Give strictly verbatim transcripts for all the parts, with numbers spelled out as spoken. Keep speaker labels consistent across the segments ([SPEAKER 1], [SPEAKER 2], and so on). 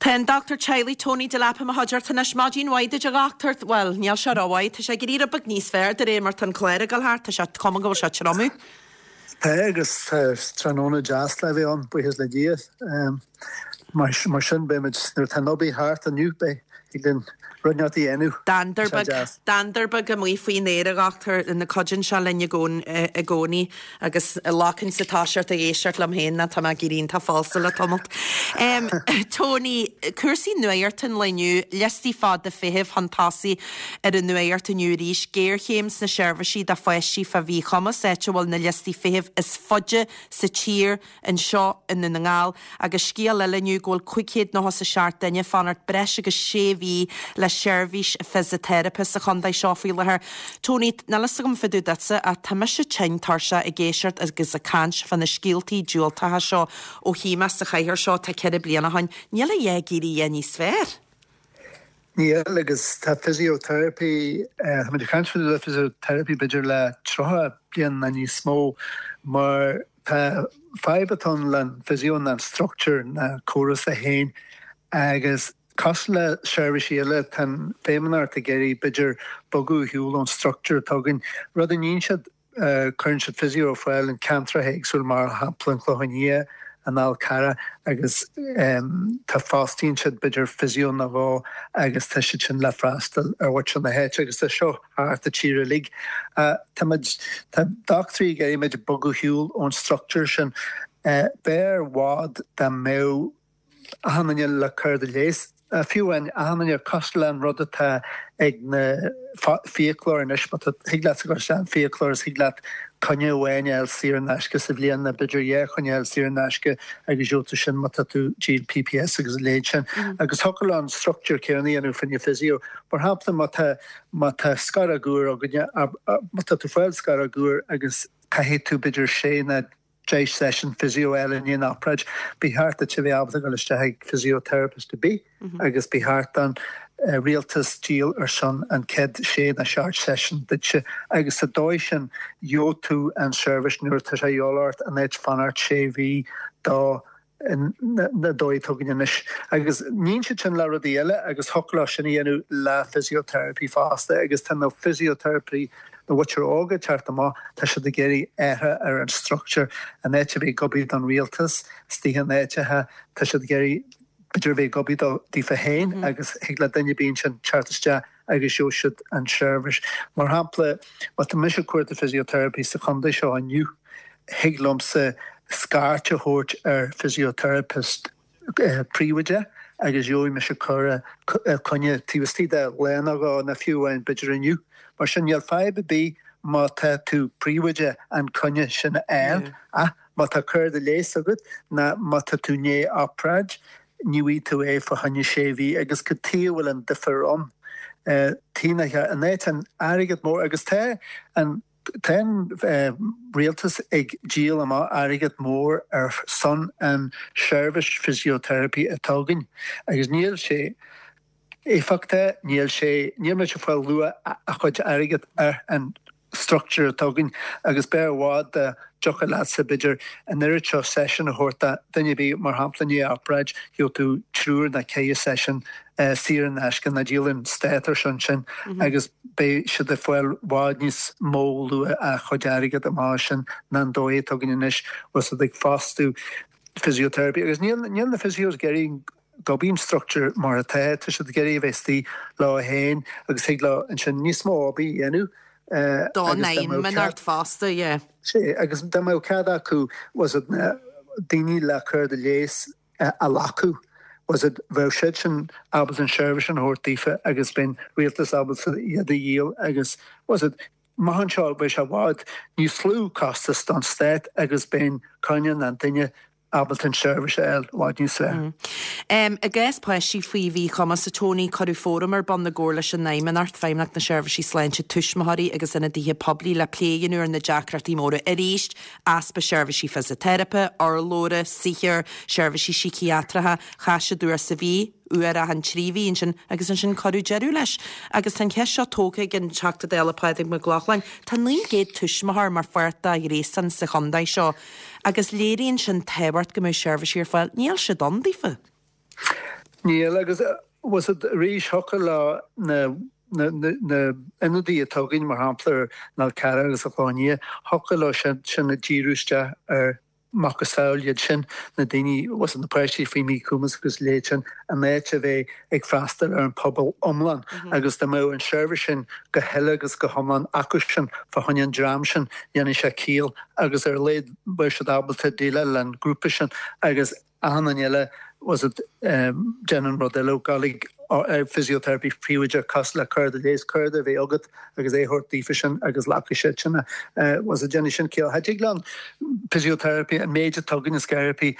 [SPEAKER 1] Tá an dochtúir teaghlaigh Tony Delap i mo chuideachta anois maidin mhaith duit a dhochtúir well níl sé rómhaith tá sé ag éirí beag níos fearr de réir mar tá an clár ag dul thart tá sé cuma go bhfuil sé triomú.
[SPEAKER 2] Tá agus tráthnóna deas le bheith ann buíochas le Dia mar mar sin beimid nuair tá an obair thart inniu beidh linn rud a dhéanamh.
[SPEAKER 1] Dander beag amuigh faoin aer a dhochtúir na cuidíonn sé linn i gcónaí agus lacan sa táiseart ag éisteacht liom féin ná tá mé ag éirí iontach falsa le tamalt. Um, Tony, cúrsaí nuachta an lae inniu, liostaí fada feithimh chun tosaigh ar an nuacht inniu arís, géarchéim sna seirbhísí do pháistí fá mhíchumas áit a bhfuil na liostaí feithimh is faide sa tír anseo i nDún na nGall agus scéal eile inniu go bhfuil cúig chéad nócha is a seacht duine fanacht breis agus sé mhí le seirbhís fisiteiripe sa chontae seo faoi láthair. Tony, níl a fhios agam fá dtaobh duitse ach tá mise tinn tuirseach ag éisteacht agus ag caint fá na scéaltaí diúltacha seo ó shuigh mé sa chathaoir seo tá ceithre bliana ó shin. Níl a dhath ag éirí níos fearr.
[SPEAKER 2] Níl agus tá physiotherapy uh, caint le physiotherapy b'fhéidir le tríocha bliain nó níos mó mar tá fadhb atá le physio an structure na córas a haon agus cosúil le seirbhísí eile tá feidhmeannacht ag iarraidh b'fhéidir bogadh shiúl ón structure atá againn rud a ndéanann siad cuireann siad physio fáil an ceantar éagsúil mar shampla an Clochán Liath an Fhál Carrach agus um, tá fostaíonn siad b'fhéidir physio nó dhó agus tá siad sin le freastal ar mhuintir na háite agus tá seo thart an tír uilig. Uh, Tá tá dochtúirí ag iarraidh bogadh shiúl ón structure sin uh, b'fhearr i bhfad dá mbeadh achan duine le cárta leighis fiú an achan duine cosúil an rud atá ag na fiaclóir anois thig leat go an fiaclóir thig leat coinne amháin a fháil saor in aisce sa bhliain na b'fhéidir dhá choinne a fháil saor in aisce agus gheobhaidh tú sin má tá tú díol PPS agus léid sin. agus thiocfadh an structure céanna anú fá choinne physio. Mar shampla má tá má tá sciorradh againne má tá tú fáil sciorradh agus caithfidh tú b'fhéidir sé na deich session physio eile i ndiaidh an obráid, ba cheart duit a bheith ábalta dul isteach ag physiotherapist ar bith agus ba cheart an uh, rialtas díol ar son an chéad sé na seacht session duitse agus sa dóigh sin gheobhaidh tú an service nuair tá sé ort an áit fanacht sé mhí dá na dóigh tugann anois. Agus níonn siad sin le rudaí eile agus thiocfadh sin a dhéanamh le physiotherapy fosta agus tá na physiotherapy na bhfuil óga teacht amach tá siad ag iarraidh athrú ar an structure an áit a bheith ag obair don rialtas stí an áitithe tá siad ag iarraidh b'fhéidir bheith ag obair daofa féin agus thig le duine bíonn sin teacht isteach agus gheobhaidh siad an service. Mar shampla má tá mise cuartú physiotherapy sa chontae seo inniu thig liomsa scairt a thabhairt ar physiotherapist eh, príobháideach agus gheobhaidh mise cur coinne taobh istigh de lá nó dhó nó fiú amháin b'fhéidir inniu. Mar sin níl fadhb ar bith má tá tú príobháideach an coinne sin a fháil ach má tá cárta leighis agat ná má tá tú i ndiaidh obráid ní bhfaighidh tú é fá choinne sé mhí agus go tí bhfuil an difear ann. Tí an áit an airgead mór agus tá an Tá uh, rialtas ag díol amach airgead mór ar son an service physiotherapy atá againn agus níl sé éifeachtach níl sé níl sé fáil luach a chuid airgead ar an structure atá againn agus b'fhearr i bhfad dá dtiocfadh leatsa b'fhéidir an oiread seo session a thabhairt duine ar bith mar shampla i ndiaidh obráid gheobhaidh tú triúr nó ceithre session uh, saor in aisce ná díolann stát ar son sin mm -hmm. agus beidh siad ag fáil i bhfad níos mó luach a chuid airgead amach sin ná an dóigh atá againn anois was ag fostú physiotherapy agus níl níl na physios ag iarraidh gob an structure mar atá tá siad ag iarraidh bheith istigh leo féin agus thig leo ansin níos mó obair a dhéanamh
[SPEAKER 1] Dá fosta yeah.
[SPEAKER 2] sé agus dá mbeadh cead acu was it na daoine le cárta leighis a ghlacadh was it bheadh siad sin ábalta an service an thabhairt daofa agus bheadh an rialtas ábalta iad a dhíol agus was it Mahan seo bheadh sé i bhfad níos lú costas don stát agus bheadh coinne an duine ábalta an service a fháil i bhfad níos fearr.
[SPEAKER 1] Um, I gcás páistí faoi mhíchumas a Tony cuireadh fóram ar bun i gcomhar leis an Fheidhmeannacht Feidhmeannacht na Seirbhísí Sláinte tuismitheoirí agus ionadaithe poiblí le plé a dhéanamh ar na deacrachtaí móra arís, easpa seirbhísí fisiteiripe, urlabhra, saothair, seirbhísí síciatracha, chaith siad uair sa mhí, uair achan trí mhí ansin agus ansin cuireadh deireadh leis. Agus tá an cheist seo tógtha ag an Teachta Dála Pádraig Mac Lochlainn, Tá naoi gcéad tuismitheoir mar pháirt de ghréasán sa chontae seo, agus léiríonn sin tábhacht go mbeadh seirbhísí ar fáil, níl siad ann daofa.
[SPEAKER 2] Níl agus was it arís thiocfadh le na na na ionadaí atá againn mar shampla ar an Fhál Carrach agus an Chlochán Liath thiocfadh leo sin sin a díriú isteach ar macasamhail iad sin na daoine was na páistí faoi mhíchumas agus leithéid sin in áit a bheith ag freastal ar an pobal iomlán agus dá mbeadh an seirbhís sin go huile agus go hiomlán acu sin fá choinne an dream sin dhéanfaidh sé ciall agus ar a laghad beidh siad ábalta déileáil le an grúpa sin agus achan duine eile was it um, déanann rud eile galig physiotherapy príobháideach cosúil le cóir leighis cárta a bheith agat agus é thabhairt daofa sin agus glacfaidh siad sin was it déanfaidh sin ciall. Cha dtig le physiotherapy an méid atá againn is therapy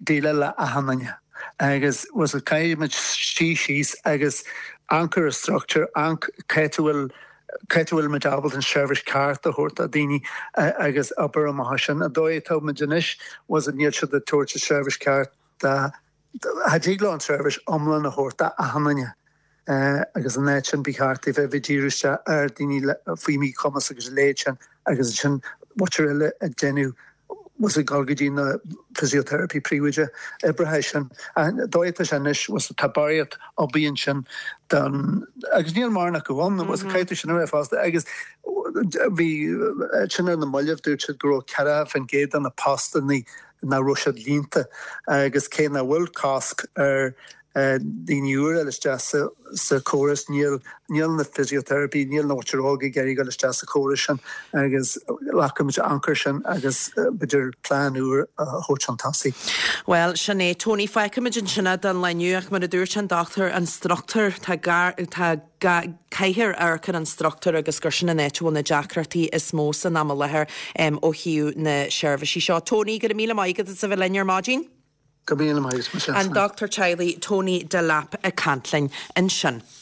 [SPEAKER 2] déileáil le achan duine. agus was it caithfimid suí síos agus amharc ar structure amharc cá bhfuil cá bhfuil muid ábalta an seirbhís ceart a thabhairt do daoine agus obair amach sin a dóigh atá muid anois was it níl siad ag tabhairt an seirbhís ceart da Cha dtig leo an seirbhís iomlán a thabhairt d'achan duine agus an áit sin ba cheart a bheith ag díriú isteach ar daoine faoi mhíchumas agus a leithéid sin agus sin muintir eile ag déanamh was ag dul go dtí na physiotherapy príobháideach oibrithe sin. Dóigh atá sé anois was tá barraíocht obair ansin don agus níl mórán acu ann was caithfidh sin a bheith fosta agus bhí sin ar na mallaibh dúirt siad go raibh ceathracha faoin gcéad de na postanna nach raibh siad líonta agus cé nach bhfuil cosc ar daoine úra isteach sa sa chóras níl níl na physiotherapy níl na muintir óg ag iarraidh dul isteach sa chóras sin agus caithfimid amharc air sin agus b'fhéidir plean úr a thabhairt chun tosaigh.
[SPEAKER 1] Well sin é Tony feicfimid ansin don lá inniu ach mar a dúirt an dochtúir an struchtúr tá tá caithfear amharc ar an struchtúr agus gur sin an áit a bhfuil na deacrachtaí is mó san am i láthair um, ó thaobh na seirbhísí seo. Tony go raibh míle maith agat as a bheith linn ar maidin?
[SPEAKER 2] Go míle maith
[SPEAKER 1] An dochtúir teaghlaigh Tony Delap ag caint linn ansin.